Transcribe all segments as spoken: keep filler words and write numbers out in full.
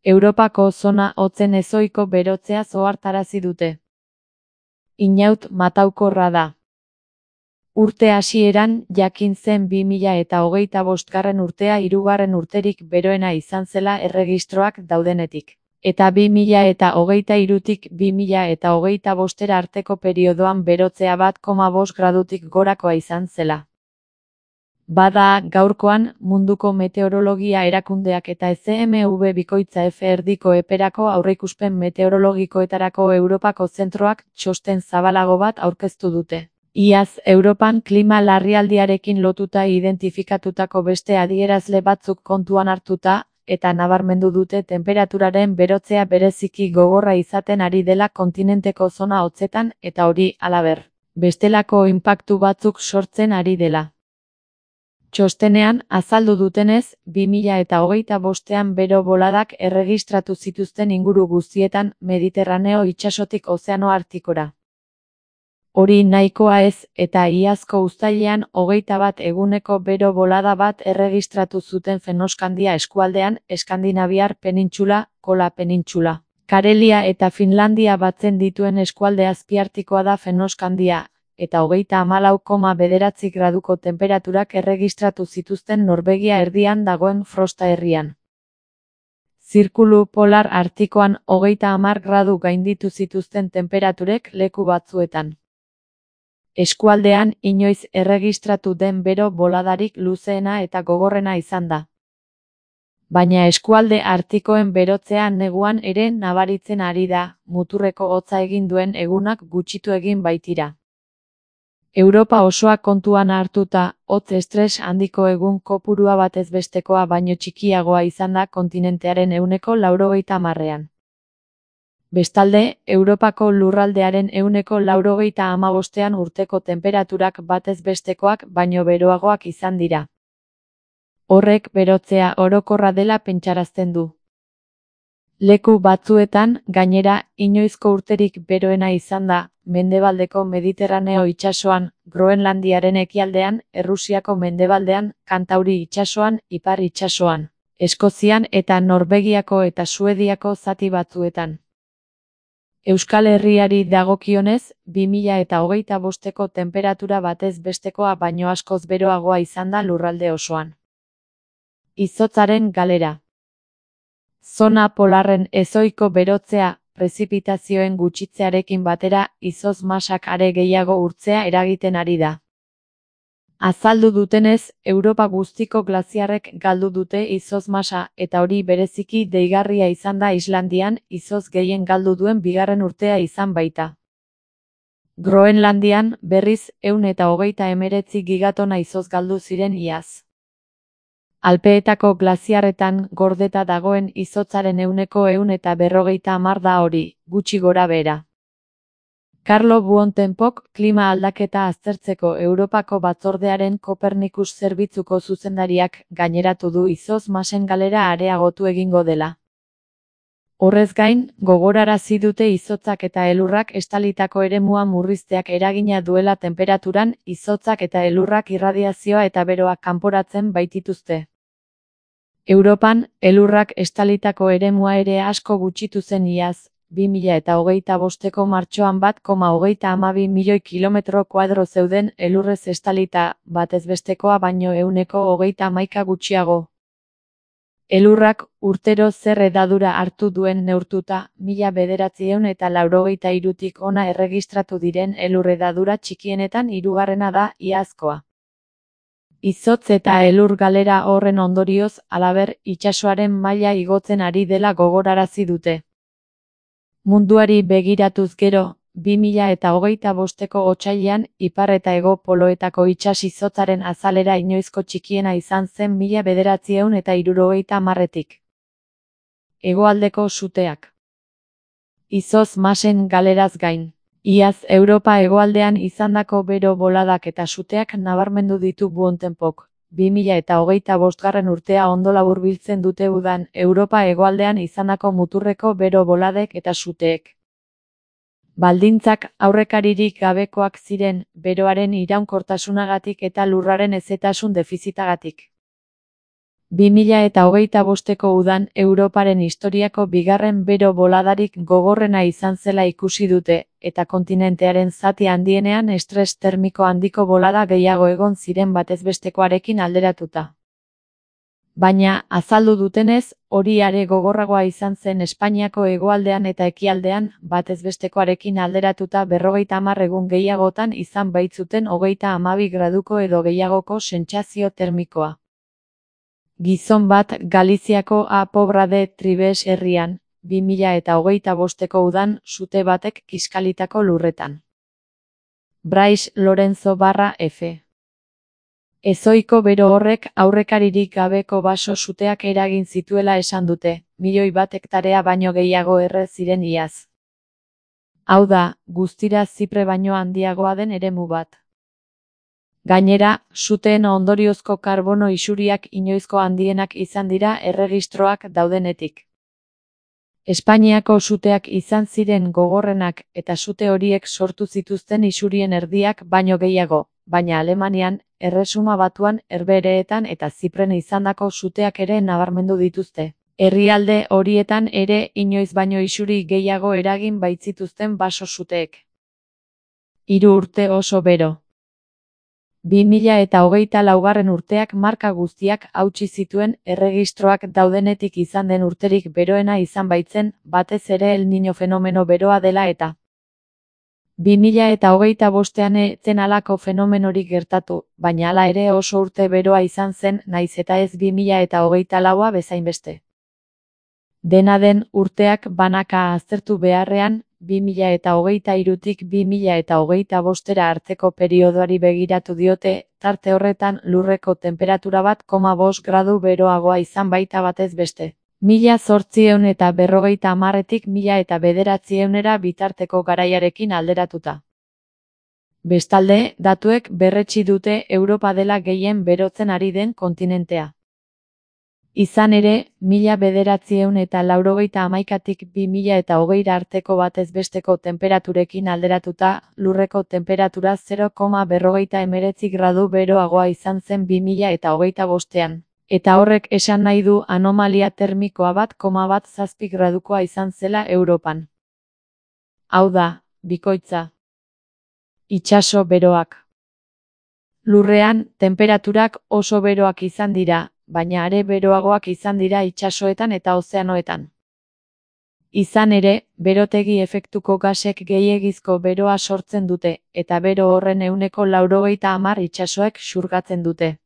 Europako zona hotzen ezohiko berotzea ohartarazi dute. Inaut mataukorra da. Urte hasieran jakin zen bi mila eta hogeita bostgarren urtea hirugarren urterik beroena izan zela erregistroak daudenetik. Eta bi mila eta hogeita hirutik bi mila eta hogeita bostera arteko periodoan berotzea bat koma bost gradutik gorakoa izan zela. Bada, gaurkoan, munduko meteorologia erakundeak eta E Z M V bikoitza F erdiko eperako aurreikuspen meteorologikoetarako Europako zentroak txosten zabalago bat aurkeztu dute. Iaz, Europan klima larrialdiarekin lotuta identifikatutako beste adierazle batzuk kontuan hartuta, eta nabarmendu dute tenperaturaren berotzea bereziki gogorra izaten ari dela kontinenteko zona hotzetan eta hori, halaber, bestelako inpaktu batzuk sortzen ari dela. Txostenean, azaldu dutenez, bi mila eta hogeita bostean bero boladak erregistratu zituzten inguru guztietan Mediterraneo itsasotik Ozeano Artikora. Hori nahikoa ez, eta iazko uztailean hogeita bat eguneko bero bolada bat erregistratu zuten Fennoskandia eskualdean, Eskandinaviar penintxula, Kola penintxula. Karelia eta Finlandia batzen dituen eskualde azpiartikoa da Fennoskandia, eta hogeita hamalau koma bederatzi graduko tenperaturak erregistratu zituzten Norvegia erdian dagoen Frosta herrian. Zirkulu polar artikoan hogeita hamar gradu gainditu zituzten temperaturek leku batzuetan. Eskualdean inoiz erregistratu den bero boladarik luzeena eta gogorrena izan da. Baina eskualde artikoen berotzea neguan ere nabaritzen ari da, muturreko hotza egin duen egunak gutxitu egin baitira. Europa osoa kontuan hartuta, hotz estres handiko egun kopurua batez bestekoa baino txikiagoa izan da kontinentearen ehuneko laurogeita hamarrean. Bestalde, Europako lurraldearen ehuneko laurogeita hamabostean urteko tenperaturak batez bestekoak baino beroagoak izan dira. Horrek berotzea orokorra dela pentsarazten du. Leku batzuetan, gainera, inoizko urterik beroena izan da, mendebaldeko Mediterraneo itsasoan, Groenlandiaren ekialdean, Errusiako mendebaldean, Kantauri itsasoan, Ipar itsasoan, Eskozian eta Norvegiako eta Suediako zati batzuetan. Euskal Herriari dagokionez, bi mila eta hogeita bosteko tenperatura batez bestekoa baino askoz beroagoa izan da lurralde osoan. Izotzaren galera. Zona polarren ezohiko berotzea, prezipitazioen gutxitzearekin batera, izotz masak are gehiago urtzea eragiten ari da. Azaldu dutenez, Europa guztiko glaziarrek galdu dute izotz masa eta hori bereziki deigarria izan da Islandian, izotz gehien galdu duen bigarren urtea izan baita. Groenlandian, berriz, ehun eta hogeita hemeretzi gigatona izotz galdu ziren iaz. Alpeetako glaziarretan gordeta dagoen izotzaren ehuneko ehun eta berrogeita hamar da hori, gutxi gora behera. Carlo Buontempook klima aldaketa aztertzeko Europako batzordearen Kopernikus zerbitzuko zuzendariak gaineratu du izotz masen galera areagotu egingo dela. Horrez gain, gogorarazi dute izotzak eta elurrak estalitako eremua murrizteak eragina duela tenperaturan, izotzak eta elurrak irradiazioa eta beroa kanporatzen baitituzte. Europan, elurrak estalitako eremua ere asko gutxitu zen iaz, bi mila eta hogeita bosteko martxoan bat koma hogeita hamabi milioi kilometro kuadro zeuden elurrez estalita, batez bestekoa baino ehuneko hogeita hamaika gutxiago. Elurrak urtero zer hedadura hartu duen neurtuta, mila bederatziehun eta laurogeita hirutik hona erregistratu diren elur hedadura txikienetan hirugarrena da iazkoa. Izotz eta elur galera horren ondorioz, halaber, itsasoaren maila igotzen ari dela gogorarazi dute. Munduari begiratuz gero, bi mila eta hogeita bosteko otsailean, ipar eta hego poloetako itsas izotzaren azalera inoizko txikiena izan zen mila bederatziehun eta hirurogeita hamarretik. Hegoaldeko suteak. Izotz masen galeraz gain. Iaz Europa hegoaldean izandako bero boladak eta suteak nabarmendu ditu Buontempook. bi mila eta hogeita bostgarren urtea ondo laburbiltzen dute udan Europa hegoaldean izandako muturreko bero boladek eta suteek. Baldintzak aurrekaririk gabekoak ziren, beroaren iraunkortasunagatik eta lurraren hezetasun defizitagatik. bi mila eta hogeita bosteko udan Europaren historiako bigarren bero boladarik gogorrena izan zela ikusi dute, eta kontinentearen zati handienean estres termiko handiko bolada gehiago egon ziren batezbestekoarekin alderatuta. Baina, azaldu dutenez, hori are gogorragoa izan zen Espainiako hegoaldean eta ekialdean, batezbestekoarekin alderatuta berrogeita hamar egun gehiagotan izan baitzuten hogeita hamabi graduko edo gehiagoko sentsazio termikoa. Gizon bat Galiziako A Pobra de Tribes herrian, bi mila eta hogeita bosteko udan sute batek kiskalitako lurretan. Brais Lorenzo barra F. Ezohiko bero horrek aurrekaririk gabeko baso suteak eragin zituela esan dute, milioi bat hektarea baino gehiago erre ziren iaz. Hau da, guztira Zipre baino handiagoa den eremu bat. Gainera, suteen ondoriozko karbono isuriak inoizko handienak izan dira erregistroak daudenetik. Espainiako suteak izan ziren gogorrenak eta sute horiek sortu zituzten isurien erdiak baino gehiago, baina Alemanian, Erresuma Batuan, Herbehereetan eta Zipren izandako suteak ere nabarmendu dituzte. Herrialde horietan ere inoiz baino isuri gehiago eragin baitzituzten baso suteek. Hiru urte oso bero. bi mila eta hogeita laugarren urteak marka guztiak hautsi zituen erregistroak daudenetik izan den urterik beroena izan baitzen, batez ere El Niño fenomeno beroa dela eta. bi mila eta hogeita bostean etzen halako fenomenorik gertatu, baina hala ere oso urte beroa izan zen naiz eta ez bi mila eta hogeita laua bezainbeste. Dena den, urteak banaka aztertu beharrean, bi mila eta hogeita hirutik bi mila eta hogeita bostera arteko periodoari begiratu diote, tarte horretan lurreko tenperatura bat koma bost gradu beroagoa izan baita batez beste. Mila zortziehun eta berrogeita hamarretik mila eta bederatzieunera bitarteko garaiarekin alderatuta. Bestalde, datuek berretsi dute Europa dela gehien berotzen ari den kontinentea. Izan ere, mila bederatzieun eta laurogeita hamaikatik bi mila eta hogeira arteko batez besteko tenperaturekin alderatuta, lurreko temperatura zero koma berrogeita hemeretzi gradu beroagoa izan zen bi mila eta hogeita bostean. Eta horrek esan nahi du anomalia termikoa bat koma bat zazpi gradukoa izan zela Europan. Hau da, bikoitza. Itsaso beroak. Lurrean, tenperaturak oso beroak izan dira, baina are beroagoak izan dira itsasoetan eta ozeanoetan. Izan ere, berotegi efektuko gasek gehiegizko beroa sortzen dute, eta bero horren ehuneko laurogeita hamar itsasoek xurgatzen dute.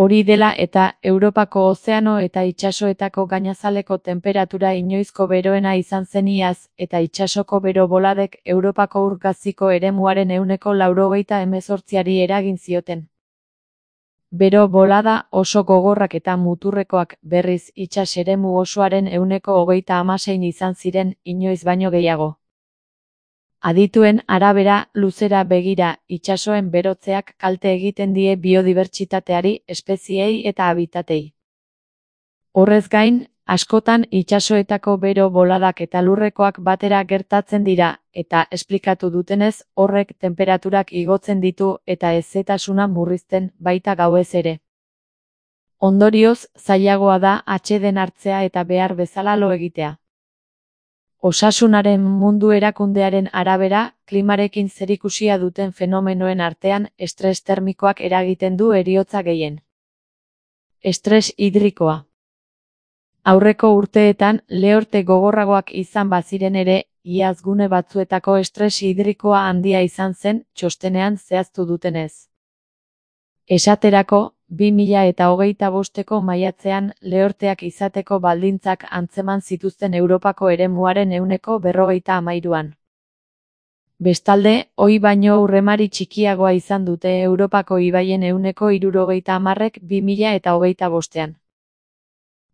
Hori dela eta Europako ozeano eta itsasoetako gainazaleko tenperatura inoizko beroena izan zen iaz, eta itsasoko bero boladek Europako ur-gaziko eremuaren ehuneko laurogeita hemezortziari eragin zioten. Bero bolada oso gogorrak eta muturrekoak berriz itsas eremu osoaren ehuneko hogeita hamasein izan ziren inoiz baino gehiago. Adituen arabera, luzera begira, itsasoen berotzeak kalte egiten die biodibertsitateari, espezieei eta habitatei. Horrez gain, askotan itsasoetako bero boladak eta lurrekoak batera gertatzen dira, eta esplikatu dutenez, horrek tenperaturak igotzen ditu eta hezetasuna murrizten baita gauez ere. Ondorioz, zailagoa da atseden hartzea eta behar bezala lo egitea. Osasunaren Mundu Erakundearen arabera, klimarekin zerikusia duten fenomenoen artean, estres termikoak eragiten du heriotza gehien. Estres hidrikoa. Aurreko urteetan, lehorte gogorragoak izan baziren ere, iaz gune batzuetako estres hidrikoa handia izan zen, txostenean zehaztu dutenez. Esaterako, bi mila eta hogeita bosteko maiatzean lehorteak izateko baldintzak antzeman zituzten Europako eremuaren ehuneko berrogeita hamairuan. Bestalde, ohi baino urremari txikiagoa izan dute Europako ibaien ehuneko hirurogeita hamarrek bi mila eta hogeita bostean.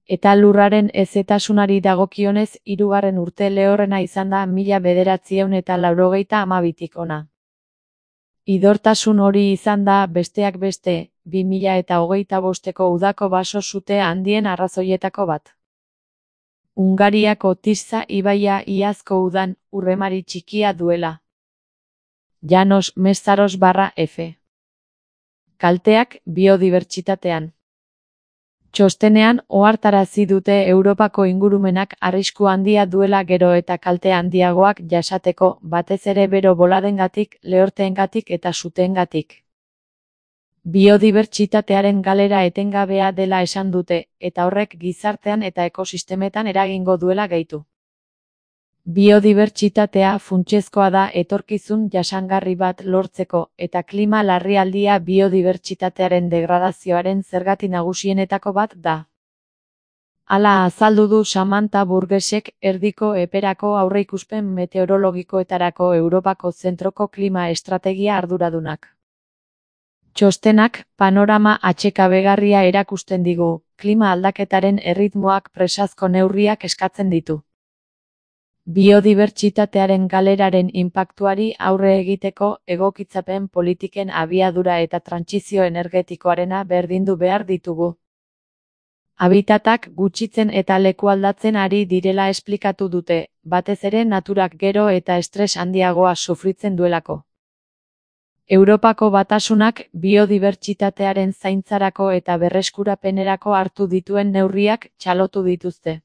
Eta lurraren hezetasunari dagokionez hirugarren urte lehorrena izan da mila bederatziehun eta laurogeita hamabitik hona. Idortasun hori izan da, besteak beste, bi mila eta hogeita bosteko udako baso sute handien arrazoietako bat. Hungariako Tisza ibaia iazko udan urremari txikia duela. Janos Mestaros barra F. Kalteak biodibertsitatean. Txostenean ohartarazi dute Europako ingurumenak arrisku handia duela gero eta kalte handiagoak jasateko, batez ere bero boladengatik, lehorteengatik eta suteengatik. Biodibertsitatearen galera etengabea dela esan dute, eta horrek gizartean eta ekosistemetan eragingo duela gehitu. Biodibertsitatea funtsezkoa da etorkizun jasangarri bat lortzeko, eta klima larrialdia biodibertsitatearen degradazioaren zergati nagusienetako bat da. Hala azaldu du Samantha Burgessek, erdiko eperako aurreikuspen meteorologikoetarako Europako zentroko klima estrategia arduradunak. Txostenak panorama atsekabegarria erakusten digu, klima aldaketaren erritmoak presazko neurriak eskatzen ditu. Biodibertsitatearen galeraren inpaktuari aurre egiteko egokitzapen politiken abiadura eta trantsizio energetikoarena berdindu behar ditugu. Habitatak gutxitzen eta lekualdatzen ari direla esplikatu dute, batez ere naturak gero eta estres handiagoa sufritzen duelako. Europako Batasunak biodibertsitatearen zaintzarako eta berreskurapenerako hartu dituen neurriak txalotu dituzte.